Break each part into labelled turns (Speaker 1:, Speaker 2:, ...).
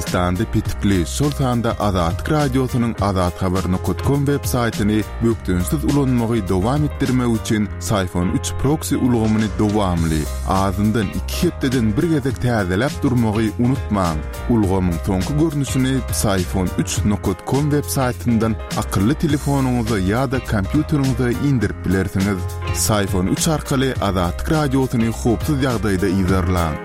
Speaker 1: Türkmenistanda petikli, şol sanda Azatlyk Radiosynyň azathabar nokat kom web saýtyny bökdençsiz ulanmagy dowam etdirmek üçin Syfon üç proksi ulgamyny dowamly, azyndan iki hepdeden bir gezek täzeläp durmagy unutmaň. Ulgamyň soňky görnüşini Psiphon üç nokat kom web saýtyndan akylly telefonyňyza ýa-da kompýuteriňize indirip bilersiňiz. Psiphon üç arkaly Azatlyk Radiosyny howpsuz ýagdaýda yzarlaň.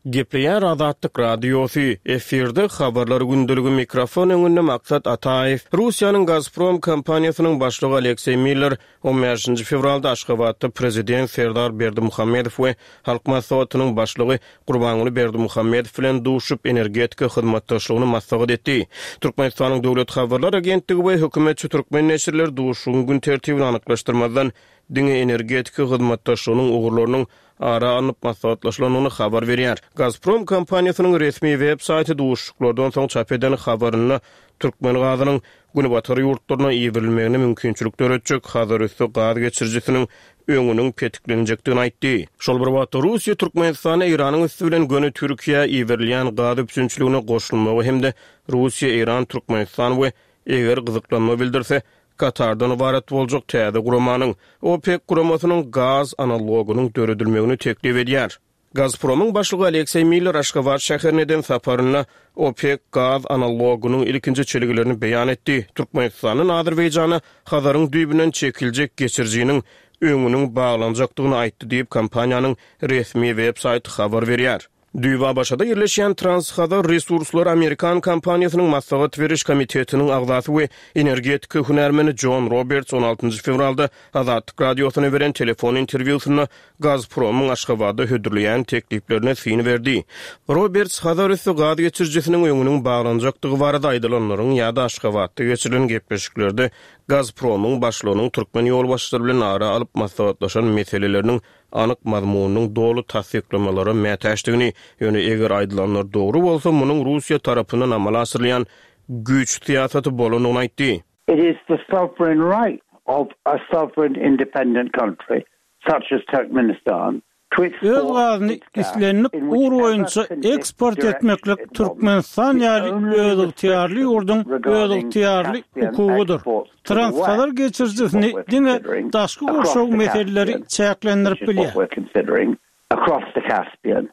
Speaker 2: Gepleýär Azatlyk Radiosy, efirde Habarlar gündeligi mikrofon öňünde Maksat Ataýew. Russiýanyň Gazprom kompaniýasynyň başlygy Alekseý Miller On bäşinji fewralda Aşgabatda Prezident Serdar Berdimuhamedow we Halk Maslahatynyň Başlygy Gurbanguly Berdimuhamedow bilen duşup, energetika hyzmatdaşlygyny maslahat etdi. Türkmenistanyň Döwlet habarlar agentligi we hökümetçi türkmen neşirleri duşuşygyň gün tertibini anyklaşdyrmazdan, diňe energetika hyzmatdaşlygynyň ugurlarynyň ara alnyp maslahatlaşylandygyny habar berýär. Gazprom kompaniýasynyň resmi web saýty duşuşyklardan soň çap eden habarynda türkmen gazynyň Günbatar ýurtlaryna iberilmegine mümkinçilik döretjek Hazarüsti gaz geçirijisiniň öňüniň petiklenjekdigini aýtdy. Şol bir wagtda, Russiýa Türkmenistana Eýranyň üsti bilen göni Türkiýä iberilýän gaz üpjünçiligine goşulmagy hem-de Russiýa, Eýran, Türkmenistan we eger gyzyklanma bildirse, Katardan ybarat boljak täze guramanyň, OPEK guramasynyň gaz analogynyň döredilmegini teklip edýär. Gazpromyň başlygy Alekseý Miller Aşgabat şäherine eden saparynda OPEK gaz analogynyň ilkinji çelgilerini beýan etdi, Türkmenistandan Azerbaýjana Hazaryň düýbünden çekiljek geçirijiniň öňüniň baglanjakdygyny aýtdy diýip, kompaniýanyň resmi web saýty habar berýär. Düýbi ABŞ-da ýerleşýän Trans-Hazar Resurslary amerikan kompaniýasynyň maslahat beriş komitetiniň agzasy we energetika hünärmeni Jon Roberts on altynjy fewralda Azatlyk Radiosyna beren telefon interwýusynda Gazpromyň Aşgabatda hödürleýän tekliplerine syn berdi. Roberts Hazarüsti gaz geçirijisiniň öňüniň baglanjakdygy barada aýdylanlaryň ýa-da Aşgabatda geçirilen gepleşiklerde Gazpromyň başlygynyň türkmen ýolbaşçylary bilen ara alyp maslahatlaşan meseleleriniň anyk mazmunynyň doly tassyklamalara mätäçdigini, ýöne eger aýdylanlar dogry bolsa, munuň Russiýa tarapyndan amala aşyrylýan güýç syýasaty bolandygyny aýtdy.
Speaker 3: It is the sovereign right of a sovereign independent country such as Turkmenistan to
Speaker 4: Öz
Speaker 3: export
Speaker 4: gazyny
Speaker 3: its gas
Speaker 4: islendik
Speaker 3: in
Speaker 4: ugur
Speaker 3: whichever
Speaker 4: boýunça eksport etmeklik
Speaker 3: direction it wants.
Speaker 4: Türkmenistan
Speaker 3: The
Speaker 4: ýaly
Speaker 3: only
Speaker 4: özygtyýarly
Speaker 3: restriction
Speaker 4: ýurduň
Speaker 3: regarding
Speaker 4: özygtyýarly
Speaker 3: Caspian
Speaker 4: hukugydyr.
Speaker 3: exports to the
Speaker 4: Transhazar
Speaker 3: West, which is what
Speaker 4: geçirijisini
Speaker 3: we're
Speaker 4: diňe
Speaker 3: considering,
Speaker 4: daşky
Speaker 3: across
Speaker 4: gurşaw
Speaker 3: the
Speaker 4: meseleleri
Speaker 3: Caspian, which
Speaker 4: çäklendirip
Speaker 3: is what
Speaker 4: bilýär.
Speaker 3: we're considering, across the Caspian,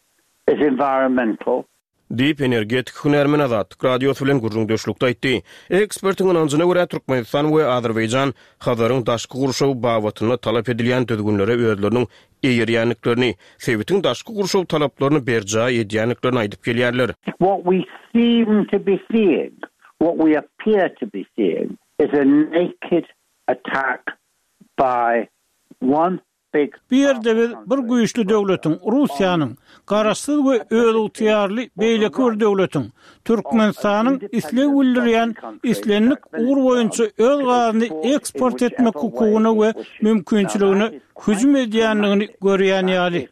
Speaker 3: is environmental.
Speaker 2: Diýip, energetik hünärmen Azatlyk Radiosy bilen gürrüňdeşlikde aýtdy. Ekspertiň ynanjyna görä, Türkmenistan we Azerbaýjan Hazaryň daşky gurşawy babatynda talap edilýän düzgünlere özleriniň eýerýändiklerini, sebitiň daşky gurşaw talaplaryny berjaý edýändiklerini aýdyp gelýärler.
Speaker 3: What we seem to be seeing, what we appear to be seeing is a naked attack by one
Speaker 4: Bu ýerde biz bir güýçli döwletiň, Russiýanyň, garaşsyz we özygtyýarly beýleki bir döwletiň, Türkmenistanyň isleg bildirýän islendik ugur boýunça öz gazyny eksport etmek hukugyna we mümkinçiligine hüjüm edýändigini görýän ýaly.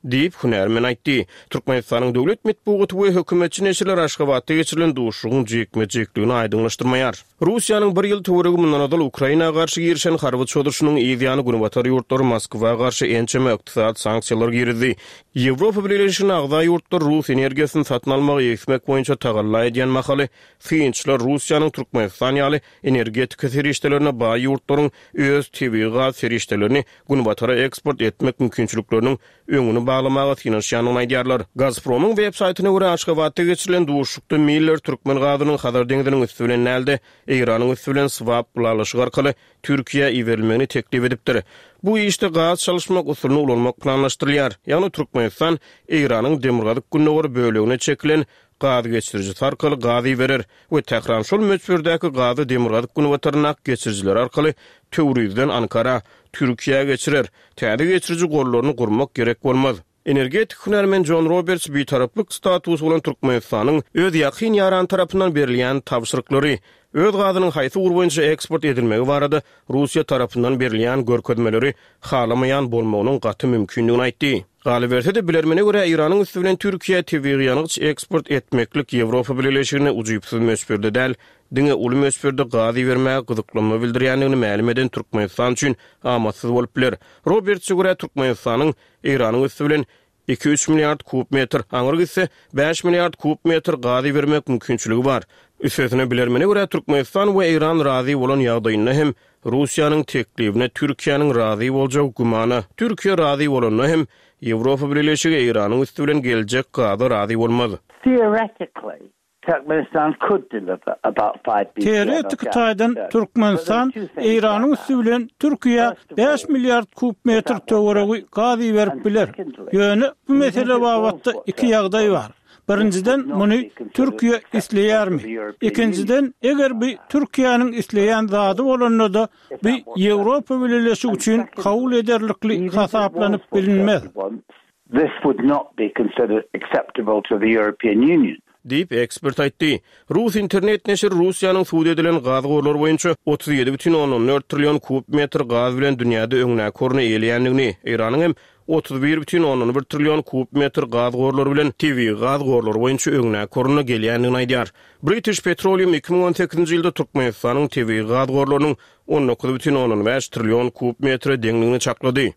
Speaker 2: Diýip, hünärmen aýtdy. Türkmenistanyň döwlet metbugaty we hökümetçi neşirler Aşgabatda geçirilen duşuşygyň jikme-jikligini aýdyňlaşdyrmaýar. Russiýanyň bir ýyl töweregi mundan ozal Ukraina garşy girişen harby çozuşynyň yz ýany günbatar ýurtlary Moskwa garşy ençeme ykdysady sanksiýalar girizdi. Ýewropa Bileleşigine agza ýurtlar rus energiýasyny satyn almagy egsmek boýunça tagalla edýän mahaly, synçylar Russiýanyň Türkmenistan ýaly energetika serişdelerine baý ýurtlaryň öz tebigy gaz serişdelerini Günbatara eksport etmek mümkinçilikleriniň öňüni baglamaga synanyşýandygyny aýdýarlar. Gazpromyň web saýtyna görä, Aşgabatda geçirilen duşuşykda Miller türkmen gazynyň Hazar deňziniň üsti bilen däl-de, Eýranyň üsti bilen swap ylalaşygy arkaly Türkiýä iberilmegini teklip edipdir. Bu işde gaz çalyşmak usulyny ulanmak planlaşdyrylýar. Ýagny Türkmenistan Eýranyň demirgazyk-gündogar bölegine çekilen gaz geçirijisi arkaly gaz iberer we Tähran şol möçberdäki gazy demirgazyk-günbataryndaky geçirijiler arkaly Töwrizden Ankara, Türkiýä geçirer. Täze geçiriji gollaryny gurmak gerek bolmaz. Energetik hünärmen Jon Roberts bitaraplyk statusy bolan Türkmenistanyň öz ýakyn ýarany tarapyndan berilýän tabşyryklary, öz gazynyň haýsy ugur boýunça eksport edilmegi barada Russiýa tarapyndan berilýän görkezmeleri halamaýan bolmagynyň gaty mümkindigini aýtdy. Galyberse-de, bilermene görä, Eýranyň üsti bilen Türkiýä tebigy ýangyç eksport etmeklik Ýewropa Bileleşigine ujypsyz möçberde däl, diňe uly möçberde gaz ibermäge gyzyklanma bildirýändigini mälim eden Türkmenistan üçin amatsyz bolup biler. Robertse görä, Türkmenistanyň Eýranyň üsti bilen iki-üç milliard kub metr, aňry gitse, bäş milliard kub metr gaz ibermek mümkinçiligi bar. Üstesine, bilermene görä, Türkmenistan we Eýran razy bolan ýagdaýynda hem Russiýanyň teklibine Türkiýäniň razy boljagy gümana. Türkiýe razy bolanda hem, Ýewropa Bileleşigi Eýranyň üsti bilen geljek gaza razy bolmaz.
Speaker 3: Theoretically, Turkmenistan could deliver about five bcm of
Speaker 4: Teoretiki
Speaker 3: gas
Speaker 4: taýdan
Speaker 3: to Turkey.
Speaker 4: Türkmenistan
Speaker 3: But there are two things
Speaker 4: Eýranyň
Speaker 3: about
Speaker 4: üsti
Speaker 3: that.
Speaker 4: bilen Türkiýä
Speaker 3: First of
Speaker 4: bäş
Speaker 3: all,
Speaker 4: milliard kub
Speaker 3: if
Speaker 4: metr
Speaker 3: that was
Speaker 4: töweregi
Speaker 3: done,
Speaker 4: gaz iberip
Speaker 3: and
Speaker 4: biler.
Speaker 3: secondly,
Speaker 4: Ýöne bu
Speaker 3: even
Speaker 4: mesele
Speaker 3: if it was
Speaker 4: babatda
Speaker 3: what
Speaker 4: iki
Speaker 3: Turkey
Speaker 4: ýagdaý
Speaker 3: wants,
Speaker 4: bar.
Speaker 3: this would
Speaker 4: Birinjiden,
Speaker 3: not
Speaker 4: muny
Speaker 3: be considered
Speaker 4: Türkiýe
Speaker 3: acceptable to
Speaker 4: isleýärmi?
Speaker 3: the European Union.
Speaker 4: Ikinjiden, eger bu Türkiýäniň isleýän zady bolanda-da,
Speaker 3: If
Speaker 4: bu
Speaker 3: that was
Speaker 4: Ýewropa
Speaker 3: done.
Speaker 4: Bileleşigi
Speaker 3: And
Speaker 4: üçin kabul
Speaker 3: secondly,
Speaker 4: ederlikli
Speaker 3: even if it was
Speaker 4: hasaplanyp
Speaker 3: what Turkey
Speaker 4: bilinmez.
Speaker 3: wants, This would not be considered acceptable to the European Union.
Speaker 2: Diýip, ekspert aýtdy. Rus internet neşiri Russiýanyň sud edilen gaz gorlary boýunça 37,4 trillion kub metr gaz bilen dünýäde öňdäki orny eýeleýändigini, Eýranyň hem 31,1 trillion kub metr gaz gorlary bilen tebigy gaz gorlary boýunça öňdäki orunda gelýändigini aýdýar. British Petroleum 2018-nji ýylda Türkmenistanyň tebigy gaz gorlarynyň 19,5 trillion kub metre deňdigini çaklady.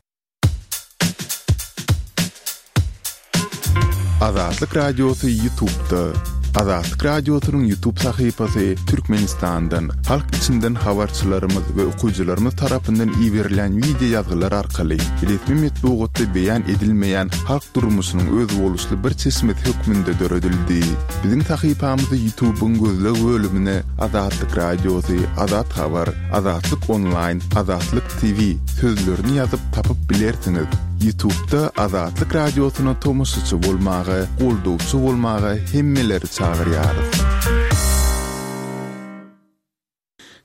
Speaker 1: Azatlyk Radiosy Ýutubda. Azatlyk Radiosynyň Ýutub sahypasy Türkmenistandan, halk içinden habarçylarymyz we okyjylarymyz tarapyndan iberilýän wideo ýazgylar arkaly resmi metbugatda beýan edilmeýän halk durmuşynyň özboluşly bir çeşmesi hökmünde döredildi. Biziň sahypamyzy Ýutubyň gözleg bölümine Azatlyk Radiosy, Azat Habar, Azatlyk Onlaýn, Azatlyk TV sözlerini ýazyp tapyp bilersiňiz. Ýutubda Azatlyk Radiosyna tomaşaçy bolmaga, goldawçy bolmaga hemmeleri çagyrýarys.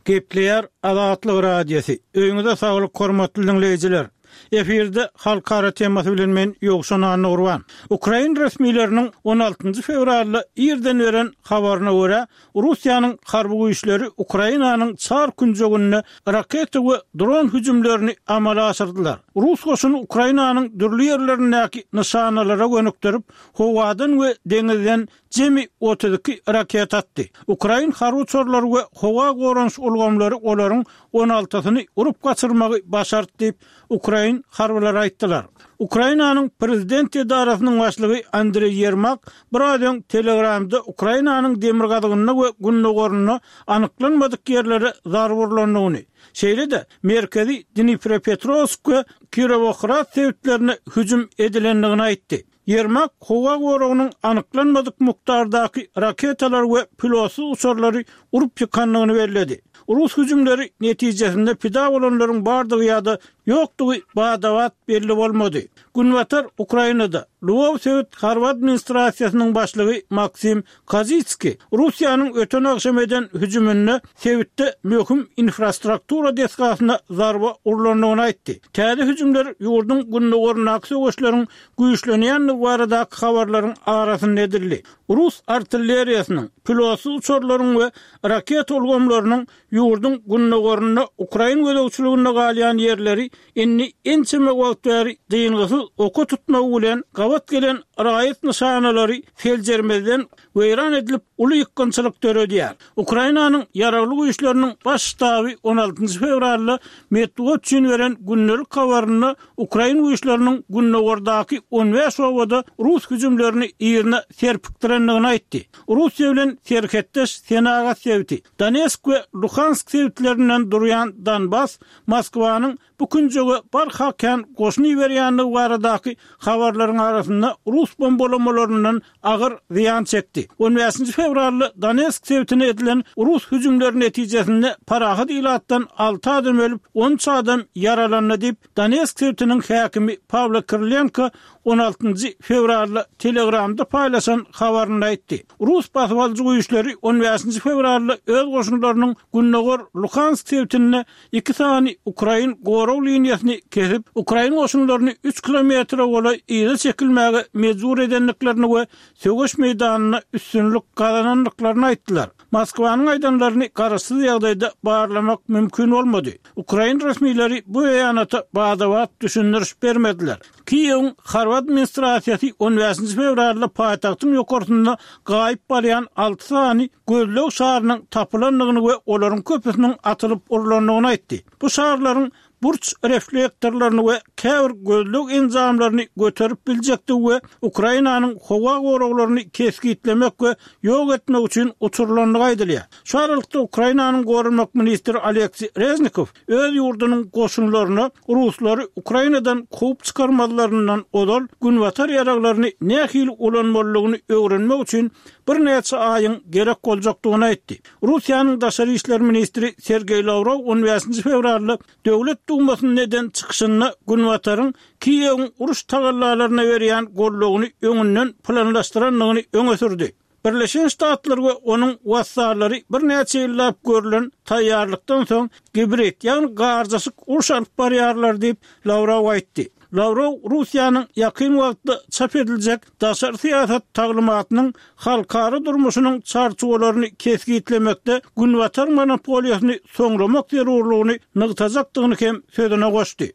Speaker 4: Gepleýär Azatlyk Radiosy. Öýüňize saglyk hormatly diňleýjiler. Efirde halkara temasy bilen men Ýowşan Annagurban. Ukrain resmileriniň on altynjy fewralda irden beren habaryna görä, Russiýanyň harby güýçleri Ukrainanyň çar künjeginde raketa we dron hüjümlerini amala aşyrdylar. Rus goşuny Ukrainanyň dürli ýerlerindäki nyşanalara gönükdirip, howadan we deňizden jemi 32 raketa atdy. Ukrain harby uçarlary we howa goranyş ulgamlary olaryň on altysyny urup gaçyrmagy başardy diýip, ukrain harbylary aýtdylar. Ukrainanyň prezident edarasynyň başlygy Andreý Ýermak biraz öň Telegramda Ukrainanyň demirgazygynda we gündogarynda anyklanmadyk ýerlere zarba urlandygyny, şeýle-de merkezi Dniprepetrowsk we Kirowohrad sebitlerine hüjüm edilendigini aýtdy. Ýermak howa goragynyň anyklanmadyk mukdardaky raketalary we pilotsyz uçarlary urup ýykandygyny belledi. Rus hüjümleri netijesinde pida bolanlaryň bardygy ýa-da ýokdugy bada-bat belli bolmady. Günbatar Ukrainada Lwow sebit harby administrasiýasynyň başlygy Maksim Kozitskiý Russiýanyň öten agşam eden hüjüminde sebitde möhüm infrastruktura desgasyna zarba urlandygyny aýtdy. Täze hüjümler ýurduň gündogaryndaky söweşleriň güýçlenýändigi baradaky habarlaryň arasynda edildi. Rus artilleriýasynyň, pilotsyz uçarlaryň we raketa ulgamlarynyň ýurduň gündogarynda ukrain gözegçiliginde galýan ýerleri indi ençeme wagt bäri dyngysyz oka tutmagy bilen gabat gelen raýat nyşanalary seljermezden weýran edilip, uly ýykgynçylyk döredýär. Ukrainanyň Ýaragly Güýçleriniň Baş ştaby on altynjy fewralda metbugat üçin beren gündelik habarynda ukrain güýçleriniň gündogardaky on bäş obada rus hüjümlerini yzyna serpikdirendigini aýtdy. Russiýa bilen serhetdeş senagat sebiti, Donetsk we Luhansk sebitlerinden durýan Donbas Moskwanyň bu künjege barha kän goşun iberýändigi baradaky habarlaryň arasynda rus bombalamalaryndan agyr zyýan çekdi. On bäşinji fewralda Donetsk sebitine edilen rus hüjümleri netijesinde parahat ilatdan alty adam ölüp, on üç adam ýaralandy diýip, Donetsk sebitiniň häkimi Pawlo Kirilenko on altynjy fewralda Telegramda paýlaşan habarynda aýtdy. Rus basybalyjy güýçleri on bäşinji fewralda öz goşunlarynyň gündogar Luhansk sebitinde iki sany ukrain gorag liniýasyny kesip, ukrain goşunlaryny üç kilometre golaý yza çekilmäge mejbur edendiklerini we söweş meýdanynda üstünlik gazanandyklaryny aýtdylar. Moskwanyň aýdanlaryny garaşsyz ýagdaýda barlamak mümkin bolmady. Ukrain resmileri bu beýanata bada-bat düşündiriş bermediler. Kiýewiň harby administrasiýasy on bäşinji fewralda paýtagtyň ýokarsynda gaýyp barýan alty sany gözleg şarynyň tapylandygyny we olaryň köpüsiniň atylyp urlandygyny aýtdy. Bu şarlaryň burç reflektorlaryny we käbir gözleg enjamlaryny göterip biljekdigi we Ukrainanyň howa goraglaryny kesgitlemek we ýok etmek üçin uçurylandygy aýdylýar. Şu aralykda Ukrainanyň goranmak ministri Oleksiý Reznikow öz ýurdunyň goşunlaryna ruslary Ukrainadan kowup çykarmazlaryndan ozal günbatar ýaraglaryny nähili ulanmalydygyny öwrenmek üçin birnäçe aýyň gerek boljakdygyny aýtdy. Russiýanyň daşary işler ministri Sergeý Lawrow on bäşinji fewralda Döwlet Dumasynda eden çykyşynda Günbataryň Kiýewiň uruş tagallalaryna berýän goldawyny öňünden planlaşdyrandygyny öňe sürdi. Birleşen Ştatlar we onuň wassallary birnäçe ýyllap görlen taýýarlykdan soň gibrid, ýagny garjaşyk uruş alyp barýarlar diýip, Lawrow aýtdy. Lawrow Russiýanyň ýakyn wagtda çap ediljek daşary syýasat taglymatynyň halkara durmuşynyň çarçuwalaryny kesgitlemekde Günbatar monopoliýasyny soňlamak zerurlygyny nygtajakdygyny hem sözüne goşdy.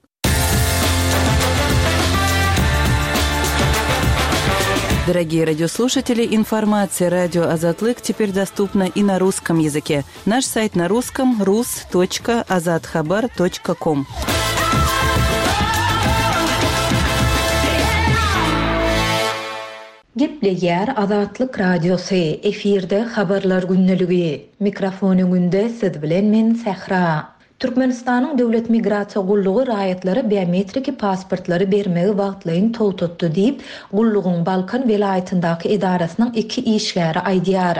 Speaker 5: Дорогие радиослушатели, информация радио Азатлык теперь доступна и на русском языке. Наш сайт на русском rus.azathabar.com.
Speaker 6: Gepleýär Azatlyk Radiosy, efirde Habarlar gündeligi. Mikrofon öňünde siz bilen men Sähra. Türkmenistanyň Döwlet migrasiýa gullugy raýatlara biometriki pasportlary bermegi wagtlaýyn togtatdy diýip, gullugyň Balkan welaýatyndaky edarasynyň iki işgäri aýdýar.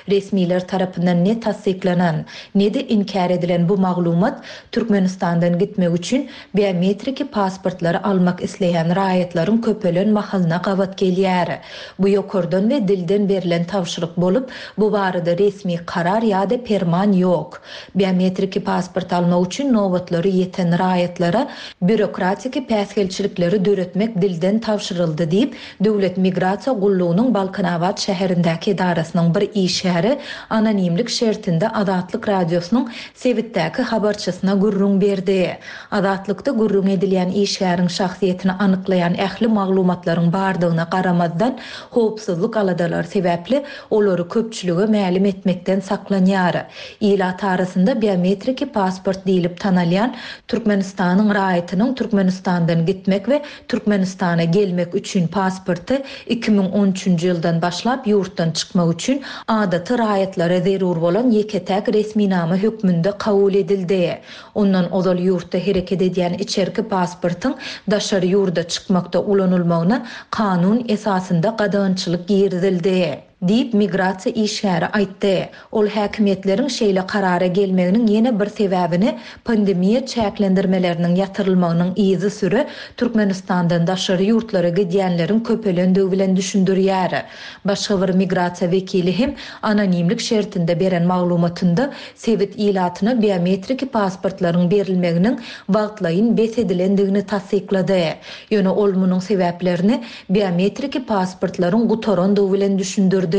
Speaker 6: Resmiler tarapyndan ne tassyklanan, ne-de inkär edilen bu maglumat Türkmenistandan gitmek üçin biometriki pasportlary almak isleýän raýatlaryň köpelen mahalyna gabat gelýär. Bu ýokardan we dilden berlen tabşyryk bolup, bu barada resmi karar ýa-da perman ýok. Biometriki pasport almak üçin nobatlary ýeten raýatlara býurokratiki päsgelçilikleri döretmek dilden tabşyryldy diýip, Döwlet migrasiýa gullugynyň Balkanabat şäherindäki edarasynyň bir işgäri anonimlik şertinde Azatlyk Radiosynyň sebitdäki habarçysyna gürrüň berdi. Azatlykda gürrüň edilýän işgäriň şahsyýetini anyklaýan ähli maglumatlaryň bardygyna garamazdan, howpsuzlyk aladalary sebäpli olary köpçülige mälim etmekden saklanýar. Ilat arasynda biometriki pasport diýlip tanalýan Türkmenistanyň raýatynyň Türkmenistandan gitmek we Türkmenistana gelmek üçin pasporty 2013-nji ýyldan başlap ýurtdan çykmak üçin adaty raýatlara zerur bolan ýeke-täk resminama hökmünde kabul edildi. Ondan ozal ýurtda hereket edýän içerki pasportyň daşary ýurda çykmakda ulanylmagyna kanun esasynda gadagançylyk girizildi. Diýip, migrasiýa işgäri aýtdy. Ol häkimiýetleriň şeýle karara gelmeginiň ýene bir sebäbini pandemiýa çäklendirmeleriniň ýatyrylmagynyň yzysüre Türkmenistandan daşary ýurtlara gidýänleriň köpelendigi bilen düşündirýär. Başga bir migrasiýa wekili hem anonimlik şertinde beren maglumatynda sebit ilatyna biometriki pasportlaryň berilmeginiň wagtlaýyn bes edilendigini tassyklady. Ýöne ol munuň sebäplerini biometriki pasportlaryň gutarandygy bilen düşündirdi.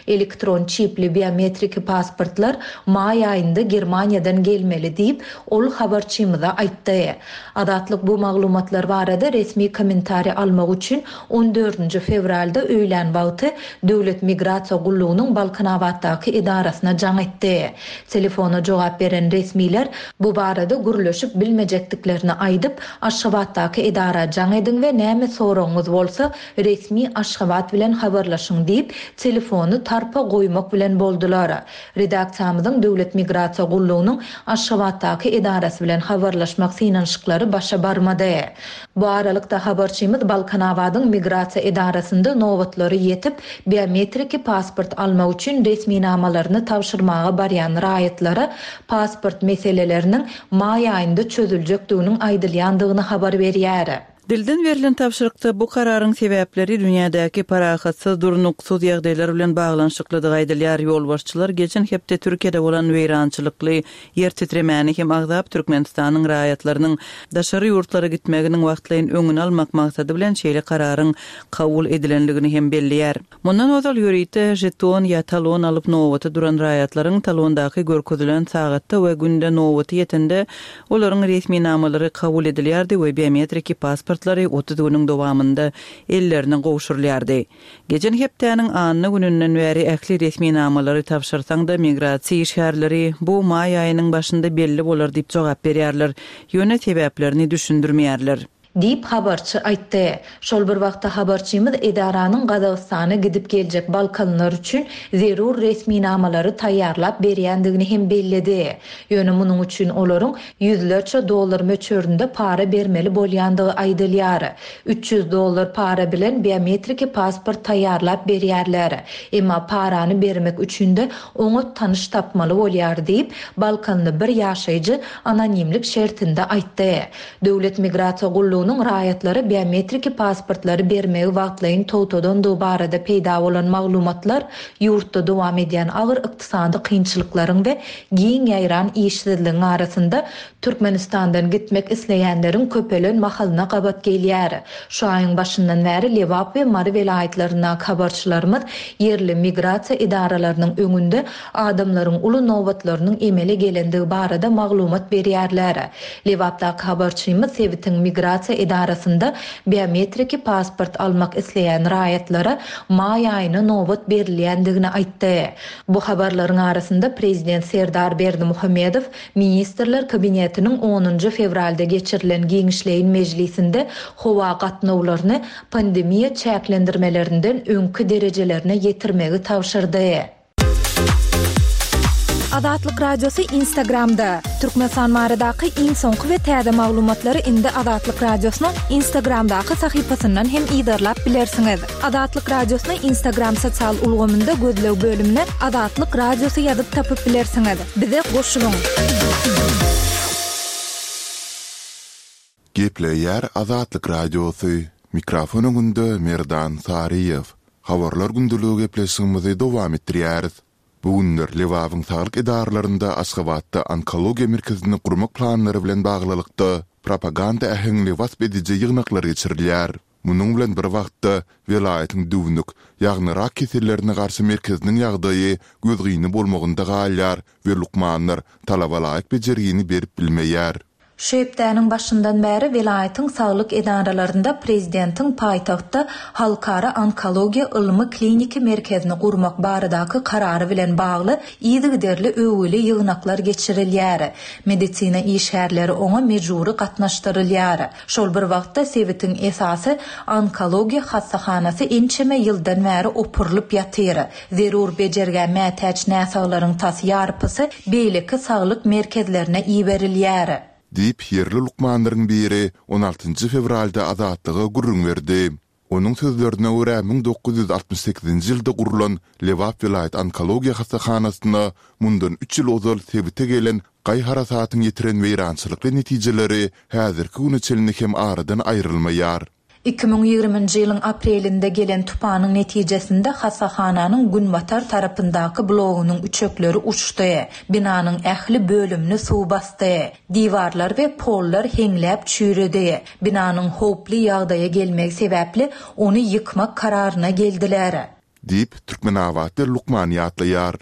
Speaker 6: Elektron çipli biometriki pasportlar maý aýynda Germaniýadan gelmeli diýip, ol habarçymyza aýtdy. Azatlyk bu maglumatlar barada resmi kommentariý almak üçin on dördünji fewralda öýlän wagty Döwlet migrasiýa gullugynyň Balkanabatdaky edarasyna jaň etdi. Telefona jogap beren resmiler bu barada gürleşip bilmejekdiklerini aýdyp, Aşgabatdaky edara jaň ediň we näme soragyňyz bolsa, resmi Aşgabat bilen habarlaşyň diýip, telefony tarpa goýmak bilen boldular. Redaksiýamyzyň Döwlet migrasiýa gullugynyň Aşgabatdaky edarasy bilen habarlaşmak synanyşyklary başa barmady. Bu aralykda, habarçymyz Balkanabadyň migrasiýa edarasynda nobatlary ýetip, biometriki pasport almak üçin resminamalaryny tabşyrmaga barýan raýatlara pasport meseleleriniň maý aýynda çözüljekdiginiň aýdylýandygyny habar berýär.
Speaker 5: Dilden berlen tabşyrykda bu kararyň sebäpleri dünýädäki parahatsyz, durnuksyz ýagdaýlar bilen baglanyşyklydygy aýdylýar. Ýolbaşçylar geçen hepde Türkiýede bolan weýrançylykly ýer titremäni hem agzap, Türkmenistanyň raýatlarynyň daşary ýurtlara gitmeginiň wagtlaýyn öňüni almak maksady bilen şeýle kararyň kabul edilendigini hem belleýär. Mundan ozal ýörite žeton ýa talon alyp nobata duran raýatlaryň talondaky görkezilen sagatda we günde nobaty ýetende olaryň resminamalary kabul edilýärdi we biometriki pasportlary 30 günüň dowamynda ellerine gowşurylýardy. Geçen hepdäniň anna gününden bäri ähli resminamalary tabşyrsaň-da migrasiýa işgärleri bu maý aýynyň başynda belli bolar diýip jogap berýärler, ýöne sebäplerini düşündirmeýärler.
Speaker 6: Diýip, habarçy aýtdy. Şol bir wagtda habarçymyz edaranyň Gazagystana gidip geljek balkanlylar üçin zerur resminamalary taýýarlap berýändigini hem belledi. Ýöne munuň üçin olaryň ýüzlerçe dollar möçberinde para bermeli bolýandygy aýdylýar. 300 dollar para bilen biometriki pasport taýýarlap berýärler. Emma parany bermek üçin-de oňat tanyş tapmaly bolýar diýip, balkanly bir ýaşaýjy anonimlik şertinde aýtdy. Döwlet migrasiýa gullugynyň raýatlara biometriki pasportlary bermegi wagtlaýyn togtadandygy barada peýda bolan maglumatlar ýurtda dowam edýän agyr ykdysady kynçylyklaryň we giň ýaýran işsizligiň arasynda Türkmenistandan gitmek isleýänleriň köpelen mahalyna gabat gelýär. Şu aýyň başyndan bäri Lebap we Mary welaýatlaryndaky habarçylarymyz ýerli migrasiýa edaralarynyň öňünde adamlaryň uly nobatlarynyň emele gelendigi barada maglumat berýärler. Lebapdaky habarçymyz sebitiň migrasiýa edarasynda biometriki pasport almak isleýän raýatlara maý aýyna nobat berilýändigini aýtdy. Bu habarlaryň arasynda prezident Serdar Berdimuhamedow Ministrler Kabinetiniň onunjy fewralda geçirilen giňişleýin mejlisinde howa gatnawlaryny pandemiýa çäklendirmelerinden öňki derejelerine ýetirmegi tabşyrdy.
Speaker 7: Azatlyk Radiosy Instagramda, Türkmenistan baradaky iň soňky we täze maglumatlary indi Azatlyk Radiosynyň Instagramdaky sahypasyndan hem yzarlap bilersiňiz. Azatlyk Radiosyny Instagram sosial ulgamynda gözleg bölümine Azatlyk Radiosy ýazyp tapyp bilersiňiz. Bize goşulyň!
Speaker 1: Gepleýär Azatlyk Radiosy, mikrofon öňünde Merdan Saryýew. Habarlar gündeligi gepleşigimizi dowam etdirýäris. Bu günler Lebabyň saglyk edaralarynda Aşgabatda onkologiýa merkezini gurmak planlary bilen baglylykda propaganda äheňli wasp ediji ýygnaklar geçirilýär. Munuň bilen bir wagtda, welaýatyň düwnük, ýagny rak kesellerine garşy merkeziniň ýagdaýy gözgyny bolmagynda galýar we lukmanlar talabalaýyk bejergini berip bilmeýär.
Speaker 6: Şu hepdäniň başyndan bäri welaýatyň saglyk edaralarynda prezidentiň paýtagtda Halkara onkologiýa ylmy-kliniki merkezini gurmak baradaky karary bilen bagly yzygiderli öwgüli ýygnaklar geçirilýär. Medisina işgärleri oňa mejbury gatnaşdyrylýar. Şol bir wagtda, sebitiň esasy onkologiýa hassahanasy ençeme ýyldan bäri opurylyp ýatyr. Zerur bejergä mätäç näsaglaryň tas ýarpysy beýleki saglyk merkezlerine iberilýär.
Speaker 1: Diýip, ýerli lukmanlaryň biri on altynjy fewralda Azatlyga gürrüň berdi. Onuň sözlerine görä, 1968-nji ýylda gurlan Lebap welaýat onkologiýa hassahanasyna mundan üç ýyl ozal sebite gelen gaý-harasatyň ýetiren weýrançylykly netijeleri häzirki güne çenli hem aradan aýrylmaýar.
Speaker 6: 2020-nji ýylyň aprelinde gelen tupanyň netijesinde hassahananyň günbatar tarapyndaky blogunyň üçekleri uçdy, binanyň ähli bölümini suw basdy, diwarlar we pollar heňläp çüýredi. Binanyň howply ýagdaýa gelmegi sebäpli ony ýykmak kararyna geldiler.
Speaker 1: Diýip, türkmenabatly lukman ýatlaýar.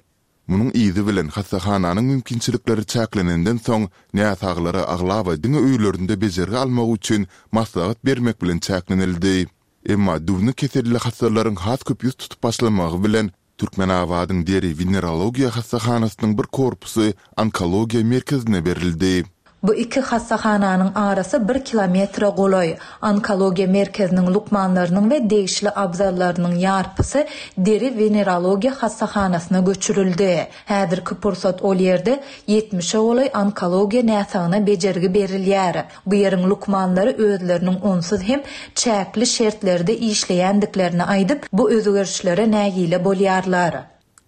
Speaker 1: Munuň yzy bilen hassahananyň mümkinçilikleri çäklenenden soň, näsaglara aglaba diňe öýlerinde bejergi almagy üçin maslahat bermek bilen çäklenildi. Emma düwnük keselli hassalaryň has köp ýüz tutup başlamagy bilen, Türkmenabadyň deri-wenerologiýa hassahanasynyň bir korpusy onkologiýa merkezine berildi.
Speaker 6: Bu iki hassahananyň arasy bir kilometre golaý. Onkologiýa merkeziniň lukmanlarynyň we degişli abzallarynyň ýarpysy deri-wenerologiýa hassahanasyna göçürildi. Häzirki pursat ol ýerde ýetmişe golaý onkologiýa näsagyna bejergi berilýär. Bu ýeriň lukmanlary özleriniň onsuz hem çäkli şertlerde işleýändiklerini aýdyp, bu özgerişlere nägile bolýarlar.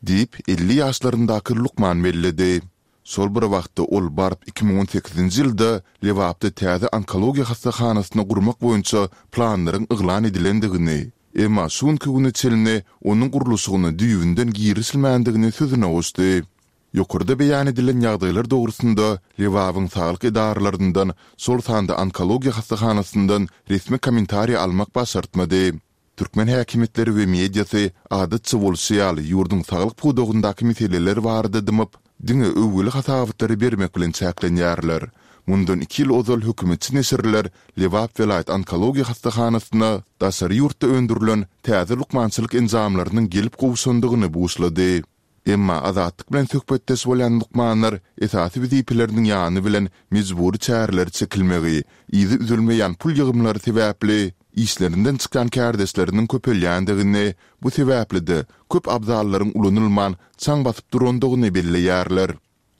Speaker 1: Diýip, 50 ýaşlaryndaky lukman belledi. Şol bir wagtda ol baryp 2018-nji ýylda Lebapda täze onkologiýa hassahanasyny gurmak boýunça planlaryň yglan edilendigini, emma şu günki güne çenli onuň gurluşygyna düýbünden girişilmändigini sözüne goşdy. Ýokarda beýan edilen ýagdaýlar dogrusynda Lebabyň saglyk edaralaryndan, şol sanda onkologiýa hassahanasyndan resmi kommentariý almak başartmady. Türkmen häkimiýetleri we mediasy, adatça bolşy ýaly, ýurduň saglyk pudagyndaky meseleler barada dymyp, diňe öwgüli hasabatlary bermek bilen çäklenýärler. Mundan iki ýyl ozal hökümetçi neşirler Lebap welaýat onkologiýa hassahanasyna daşary ýurtda öndürilen täze lukmançylyk enjamlarynyň gelip gowşandygyny buşlady. Emma Azatlyk bilen söhbetdeş bolýan lukmanlar esasy wezipeleriniň ýany bilen mejbury çäreleri çekilmegi, yzy üzülmeýän pul ýygymlary sebäpli işlerinden çykýan kärdeşleriniň köpelýändigini, bu sebäpli-de köp abzallaryň ulanylman çaň basyp durandygyny belleýärler.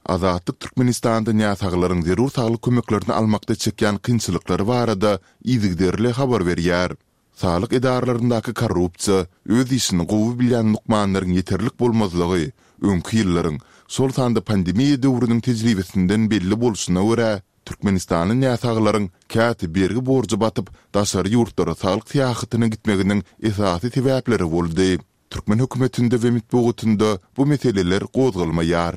Speaker 1: Azatlyk Türkmenistanda näsaglaryň zerur saglyk kömeklerini almakda çekýän kynçylyklary barada yzygiderli habar berýär. Saglyk edaralaryndaky korrupsiýa, öz işini gowy bilýän lukmanlaryň ýeterlik bolmazlygy öňki ýyllaryň, şol sanda pandemiýa döwrüniň tejribesinden belli bolşuna görä, türkmenistanly näsaglaryň käte bergi-borja batyp, daşary ýurtlara saglyk syýahatyna gitmeginiň esasy sebäpleri boldy. Türkmen hökümetinde we metbugatynda bu meseleler gozgalmaýar.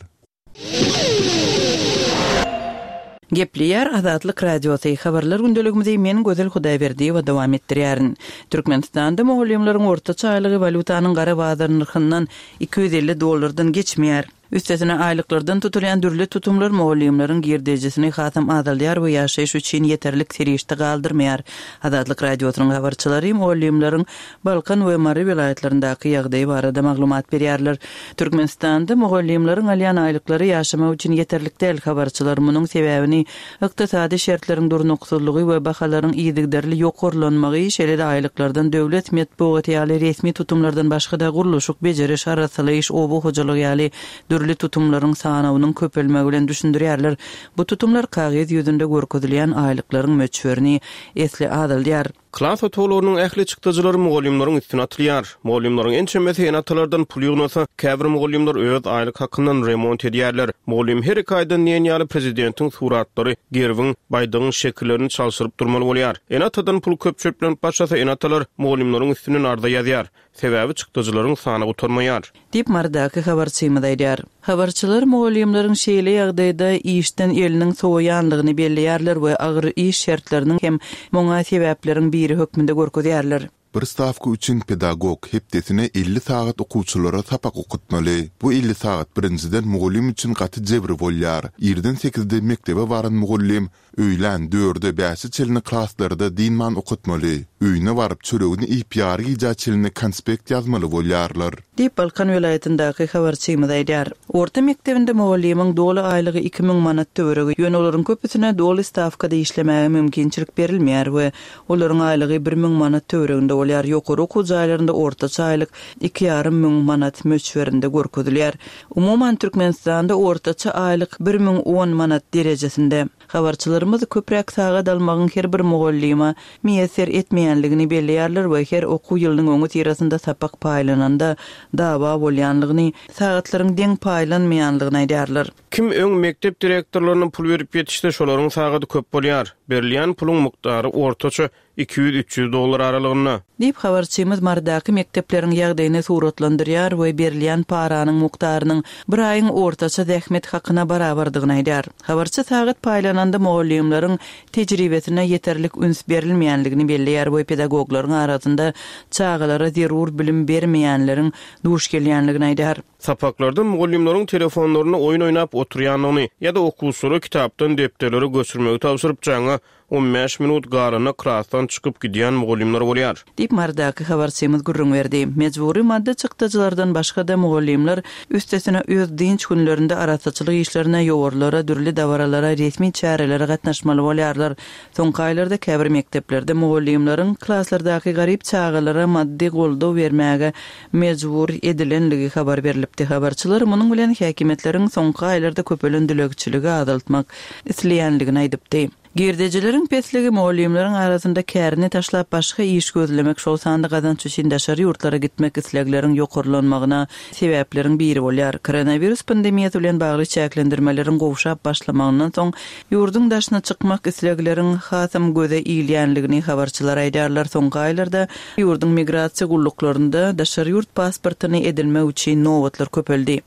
Speaker 5: Gepleýär Azatlyk Radiosy, Habarlar gündeligimizi men Gözel Hudaýberdiýewa dowam etdirýärin. Türkmenistanda mugallymlaryň ortaça aýlygy walýutanyň gara bazar nyrhyndan 250 dollardan geçmeýär. Üstesine aýlyklardan tutulýan dürli tutumlar mugallymlaryň girdejisini hasam azaldýar we ýaşaýyş üçin ýeterlik serişde galdyrmaýar. Azatlyk Radiosynyň habarçylary mugallymlaryň Balkan we Mary welaýatlaryndaky ýagdaý barada maglumat berýärler. Türkmenistanda mugallymlaryň alýan aýlyklary ýaşamak üçin ýeterlik däl, habarçylar munuň sebäbini ykdysady şertleriň durnuksyzlygy we bahalaryň yzygiderli ýokarlanmagy, şeýle-de aýlyklardan döwlet metbugaty ýaly resmi tutumlardan başga-da gurluşyk, bejeriş, arassalaýyş, oba hojalygy ýaly dürli tutumlaryň sanawynyň köpelmegi bilen düşündirýärler. Bu tutumlar kagyz ýüzünde görkezilýän aýlyklaryň möçberini esli azaldýar.
Speaker 2: Klas otaglarynyň ähli çykdajylary mugallymlaryň üstüne atylýar. Mugallymlaryň ençemesi ene-atalardan pul ýygnasa, käbir mugallymlar öz aýlyk hakyndan remont edýärler. Mugallym her iki aýdan diýen ýaly prezidentiň suratlary, gerbiň, baýdagyň şekillerini çalşyryp durmaly bolýar. Ene-atadan pul köp çöplenip başlasa, ene-atalar mugallymlaryň üstünden arza ýazýar. Sebäbi çykdajylaryň sany gutarmaýar.
Speaker 5: Diýip, Marydaky habarçymyz aýdýar. Habarçylar mugallymlaryň şeýle ýagdaýda işden eliniň sowaýanlygyny belleýärler we agyr iş şertleriniň hem muňa sebäpleriň biri hökmünde görkezýärler.
Speaker 1: Bir stawka üçin pedagog hepdesine 50 sagat okuwçylara sapak okatmaly. Bu 50 sagat birinjiden mugallym üçin gaty jebir bolýar. Irden sekizde mekdebe baran mugallym Öýlän dörde bäşe çenli klaslarda dynman okatmaly. Öýüne baryp çöregini iýip ýary gijä çenli konspekt ýazmaly bolýarlar.
Speaker 5: Diýip, Balkan welaýatyndaky habarçymyz aýdýar. Orta mekdebinde mugallymyň doly aýlygy 2000 manat töweregi, ýöne olaryň köpüsine doly stawkada işlemäge mümkinçilik berilmeýär we olaryň aýlygy 1000 manat töwereginde bolýar, ýokary okuw jaýlarynda ortaça aýlyk iki ýarym müň manat möçberinde görkezilýär. Umuman, Türkmenistanda ortaça aýlyk 1010 manat derejesinde. Habarçylarymyz köpräk sagat almagyň her bir mugallyma miýesser etmeýänligini belleýärler we her okuw ýylynyň öňüsyrasynda sapak paýlananda dawa bolýanlygyny, sagatlaryň deň paýlanmaýanlygyny aýdýarlar.
Speaker 2: Kim öň mekdep direktorlaryna pul berip ýetişse, şolaryň sagady köp bolýar. Berilýän puluň mukdary ortaça 200-300 dollar aralygynda.
Speaker 5: Diýip, habarçymyz Marydaky mekdepleriň ýagdaýyny suratlandyrýar we berilýän paranyň mukdarynyň bir aýyň ortaça zähmet hakyna barabardygyny aýdýar. Habarçy sagat paýlananda mugallymlaryň tejribesine ýeterlik üns berilmeýänligini belleýär we pedagoglaryň arasynda çagalara zerur bilim bermeýänleriň duş gelýänligini aýdýar.
Speaker 2: Sapaklarda mugallymlaryň telefonlarynda oýun oýnap oturýandygyny ýa-da okuwçylara kitapdan depderlere göçürmegi tabşyryp jaňa 15 minut galanda klasdan çykyp gidýän mugallymlar bolýar.
Speaker 5: Diýip, Marydaky habarçymyz gürrüň berdi. Mejbury maddy çykdajylardan başga-da, mugallymlar, üstesine, öz dynç günlerinde arassaçylyk işlerine, ýowarlara, dürli dabaralara, resmi çärelere gatnaşmaly bolýarlar. Soňky aýlarda käbir mekdeplerde mugallymlaryň klaslardaky garyp çagalara maddy goldaw bermäge mejbur edilenligi habar berlipdi. Habarçylar munuň bilen häkimiýetleriň soňky aýlarda köpelen dilegçiligi azaltmak isleýänligini aýdypdy. Girdejileriň pesligi mugallymlaryň arasynda kärini taşlap başga iş gözlemek, şol sanda gazanç üçin daşary ýurtlara gitmek islegleriň ýokarlanmagyna sebäpleriň biri bolýar. Koronawirus pandemiýasy bilen bagly çäklendirmeleriň gowşap başlamagyndan soň, ýurduň daşyna çykmak islegleriň hasam göze ilýänligini habarçylar aýdýarlar. Soňky aýlarda ýurduň migrasiýa gulluklarynda daşary ýurt pasportyny edinmek üçin nobatlar köpeldi.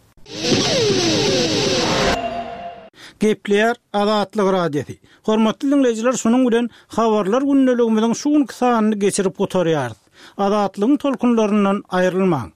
Speaker 4: Gepleýär Azatlyk Radiosy. Hormatly diňleýjiler şunuň bilen Habarlar gündeligimiziň şu günki sanyny geçirip gutarýarys. Azatlygyň tolkunlaryndan aýrylmaň.